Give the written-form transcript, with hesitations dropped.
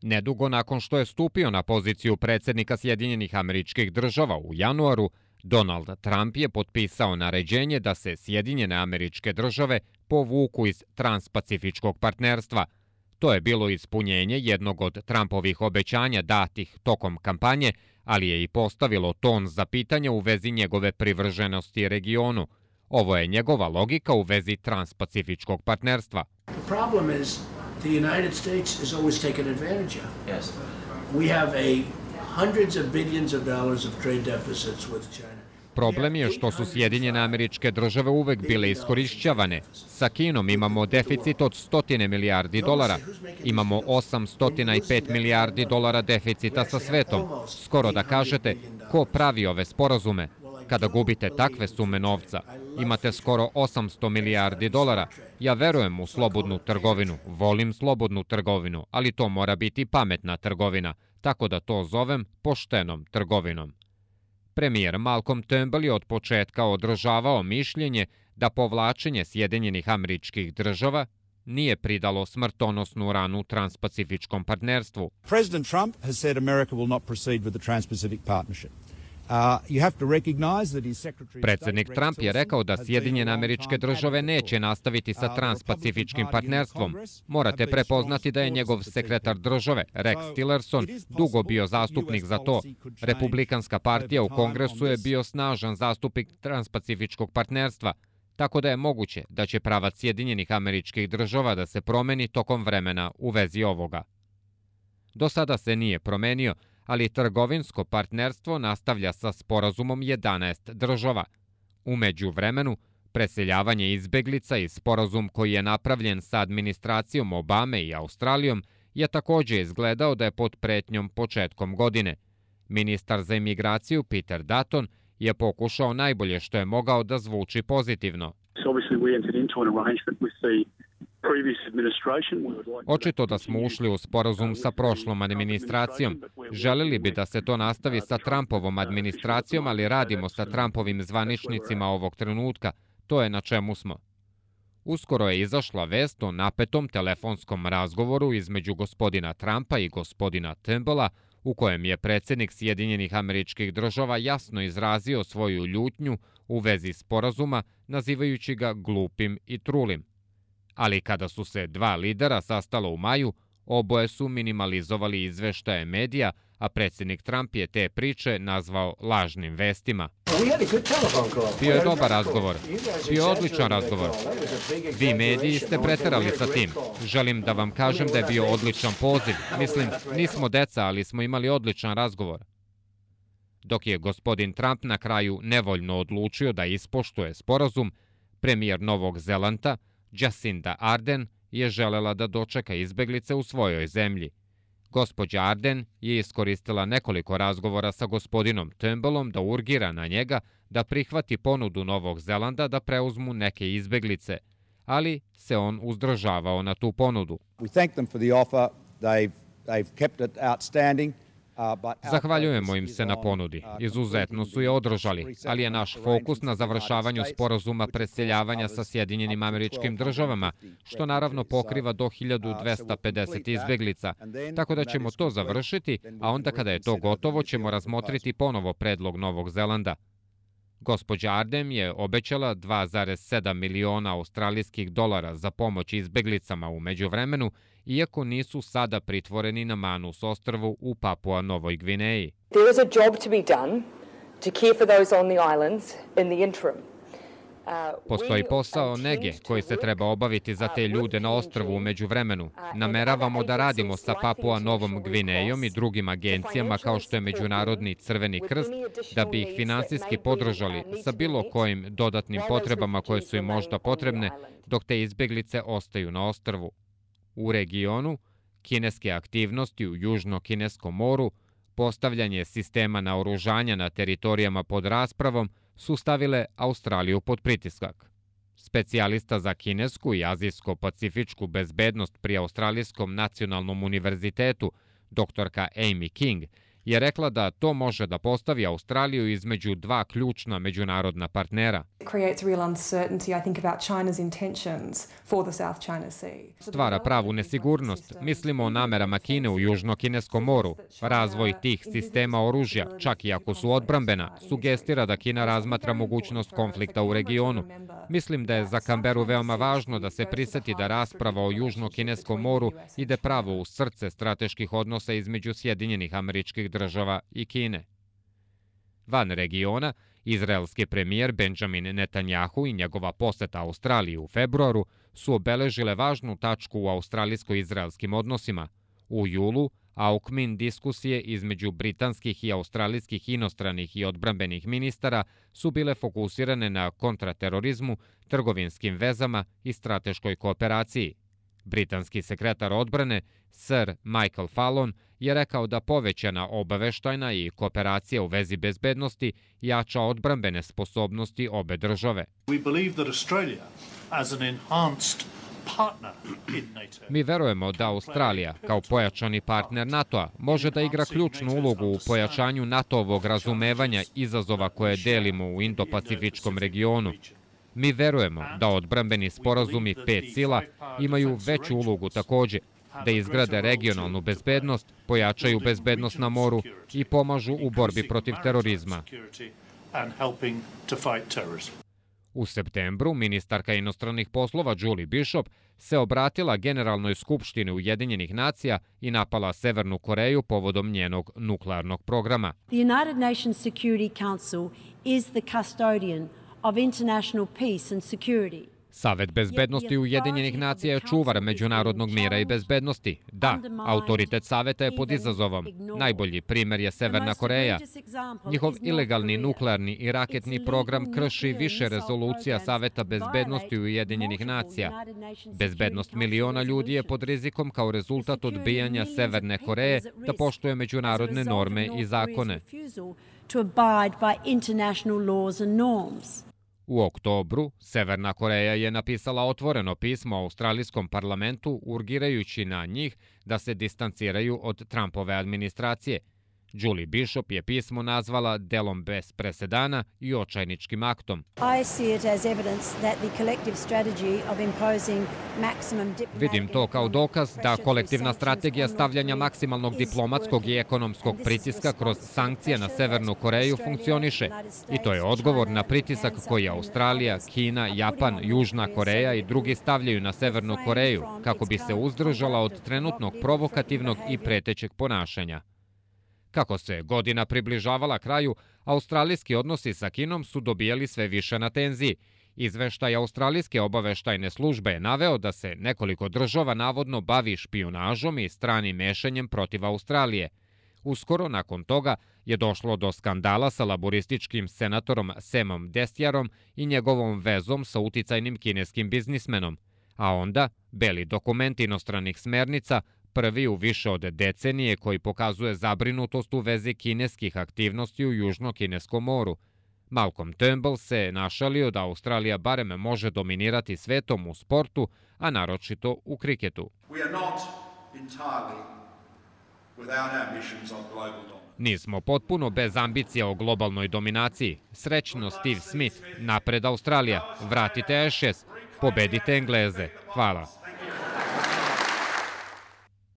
Nedugo nakon što je stupio na poziciju predsjednika Sjedinjenih Američkih Država u januaru, Donald Trump je potpisao naređenje da se Sjedinjene Američke Države povuku iz transpacifičkog partnerstva. To je bilo ispunjenje jednog od Trumpovih obećanja datih tokom kampanje, ali je i postavilo ton za pitanje u vezi njegove privrženosti regionu. Ovo je njegova logika u vezi transpacifičkog partnerstva. The United States has always taken advantage of. Yes. We have hundreds of billions of dollars of trade deficits with China. Problem je što su Sjedinjene Američke Države uvek bile iskorišćavane. Sa Kinom imamo deficit od 100 milijardi dolara. Imamo 805 milijardi dolara deficita sa svetom. Skoro da kažete, ko pravi ove sporazume? Kada gubite takve sume novca, imate skoro 800 milijardi dolara. Ja verujem u slobodnu trgovinu, volim slobodnu trgovinu, ali to mora biti pametna trgovina, tako da to zovem poštenom trgovinom. Premijer Malcolm Turnbull je od početka održavao mišljenje da povlačenje Sjedinjenih Američkih Država nije pridalo smrtonosnu ranu transpacifičkom partnerstvu. President Trump has said America will not proceed with the Trans-Pacific Partnership. Predsjednik Trump je rekao da Sjedinjene Američke Države neće nastaviti sa transpacifičkim partnerstvom. Morate prepoznati da je njegov sekretar države, Rex Tillerson, dugo bio zastupnik za to. Republikanska partija u Kongresu je bio snažan zastupnik transpacifičkog partnerstva, tako da je moguće da će pravac Sjedinjenih Američkih Država da se promeni tokom vremena u vezi ovoga. Do sada se nije promenio, ali trgovinsko partnerstvo nastavlja sa sporazumom 11 država. U međuvremenu, preseljavanje izbeglica i sporazum koji je napravljen sa administracijom Obame i Australijom je također izgledao da je pod pretnjom početkom godine. Ministar za imigraciju Peter Dutton je pokušao najbolje što je mogao da zvuči pozitivno. Očito da smo ušli u sporazum sa prošlom administracijom. Želeli bi da se to nastavi sa Trumpovom administracijom, ali radimo sa Trumpovim zvaničnicima ovog trenutka. To je na čemu smo. Uskoro je izašla vest o napetom telefonskom razgovoru između gospodina Trumpa i gospodina Turnbulla, u kojem je predsjednik Sjedinjenih Američkih Država jasno izrazio svoju ljutnju u vezi sporazuma, nazivajući ga glupim i trulim. Ali kada su se dva lidera sastala u maju, oboje su minimalizovali izveštaje medija, a predsjednik Trump je te priče nazvao lažnim vestima. Bio je dobar razgovor. Bio je odličan razgovor. Vi mediji ste preterali sa tim. Želim da vam kažem da je bio odličan poziv. Mislim, nismo deca, ali smo imali odličan razgovor. Dok je gospodin Trump na kraju nevoljno odlučio da ispoštuje sporazum, premijer Novog Zelanda, Jacinda Ardern, je želela da dočeka izbeglice u svojoj zemlji. Gospođa Ardern je iskoristila nekoliko razgovora sa gospodinom Turnbullom da urgira na njega da prihvati ponudu Novog Zelanda da preuzmu neke izbeglice, ali se on uzdržavao na tu ponudu. Zahvaljujemo im se na ponudi. Izuzetno su je održali, ali je naš fokus na završavanju sporazuma preseljavanja sa Sjedinjenim Američkim Državama, što naravno pokriva do 1250 izbeglica. Tako da ćemo to završiti, a onda kada je to gotovo ćemo razmotriti ponovo predlog Novog Zelanda. Gospođa Ardern je obećala 2,7 miliona australijskih dolara za pomoć izbeglicama u međuvremenu, iako nisu sada pritvoreni na Manus ostrvu u Papua Novoj Gvineji. There is a job to be done to care for those on the islands in the interim. Postoji posao nege koji se treba obaviti za te ljude na ostrvu u međuvremenu. Nameravamo da radimo sa Papua Novom Gvinejom i drugim agencijama kao što je Međunarodni Crveni krst, da bi ih finansijski podržali sa bilo kojim dodatnim potrebama koje su im možda potrebne dok te izbeglice ostaju na ostrvu. U regionu, kineske aktivnosti u Južno-Kineskom moru, postavljanje sistema naoružanja na teritorijama pod raspravom su stavile Australiju pod pritiskak. Specijalista za kinesku i azijsko-pacifičku bezbednost pri Australijskom nacionalnom univerzitetu, doktorka Amy King, je rekla da to može da postavi Australiju između dva ključna međunarodna partnera. Stvara pravu nesigurnost. Mislimo o namerama Kine u Južno-Kineskom moru. Razvoj tih sistema oružja, čak i ako su odbrambena, sugestira da Kina razmatra mogućnost konflikta u regionu. Mislim da je za Kamberu veoma važno da se priseti da rasprava o Južno-Kineskom moru ide pravo u srce strateških odnosa između Sjedinjenih Američkih Država i Kine. Van regiona, izraelski premijer Benjamin Netanjahu i njegova poseta Australiji u februaru su obeležile važnu tačku u australijsko-izraelskim odnosima. U julu, aukmin diskusije između britanskih i australijskih inostranih i odbrambenih ministara su bile fokusirane na kontraterorizmu, trgovinskim vezama i strateškoj kooperaciji. Britanski sekretar odbrane, Sir Michael Fallon, je rekao da povećana obaveštajna i kooperacija u vezi bezbednosti jača odbrambene sposobnosti obe države. Mi verujemo da Australija, kao pojačani partner NATO-a, može da igra ključnu ulogu u pojačanju NATO-ovog razumevanja izazova koje delimo u Indo-Pacifičkom regionu. Mi verujemo da odbrambeni sporazumi pet sila imaju veću ulogu takođe, da izgrade regionalnu bezbednost, pojačaju bezbednost na moru i pomažu u borbi protiv terorizma. U septembru ministarka inostranih poslova Julie Bishop se obratila Generalnoj skupštini Ujedinjenih nacija i napala Severnu Koreju povodom njenog nuklearnog programa. The United Nations Security Council is the custodian of international peace and security. Savet bezbednosti Ujedinjenih nacija je čuvar međunarodnog mira i bezbednosti. Da, autoritet Saveta je pod izazovom. Najbolji primer je Severna Koreja. Njihov ilegalni nuklearni i raketni program krši više rezolucija Saveta bezbednosti Ujedinjenih nacija. Bezbednost miliona ljudi je pod rizikom kao rezultat odbijanja Severne Koreje da poštuje međunarodne norme i zakone. U oktobru, Severna Koreja je napisala otvoreno pismo australijskom parlamentu urgirajući na njih da se distanciraju od Trumpove administracije. Julie Bishop je pismo nazvala delom bez presedana i očajničkim aktom. Vidim to kao dokaz da kolektivna strategija stavljanja maksimalnog diplomatskog i ekonomskog pritiska kroz sankcije na Severnu Koreju funkcioniše. I to je odgovor na pritisak koji Australija, Kina, Japan, Južna Koreja i drugi stavljaju na Severnu Koreju kako bi se uzdržala od trenutnog provokativnog i pretećeg ponašanja. Kako se godina približavala kraju, australijski odnosi sa Kinom su dobijali sve više na tenziji. Izveštaj australijske obaveštajne službe je naveo da se nekoliko država navodno bavi špijunažom i stranim mešanjem protiv Australije. Uskoro nakon toga je došlo do skandala sa laborističkim senatorom Samom Destjarom i njegovom vezom sa uticajnim kineskim biznismenom. A onda, beli dokument inostranih smernica, prvi u više od decenije koji pokazuje zabrinutost u vezi kineskih aktivnosti u Južno-Kineskom moru. Malcolm Turnbull se našalio da Australija barem može dominirati svetom u sportu, a naročito u kriketu. Nismo potpuno bez ambicija o globalnoj dominaciji. Srećno Steve Smith, napred Australija, vratite Ashes, pobedite Engleze. Hvala.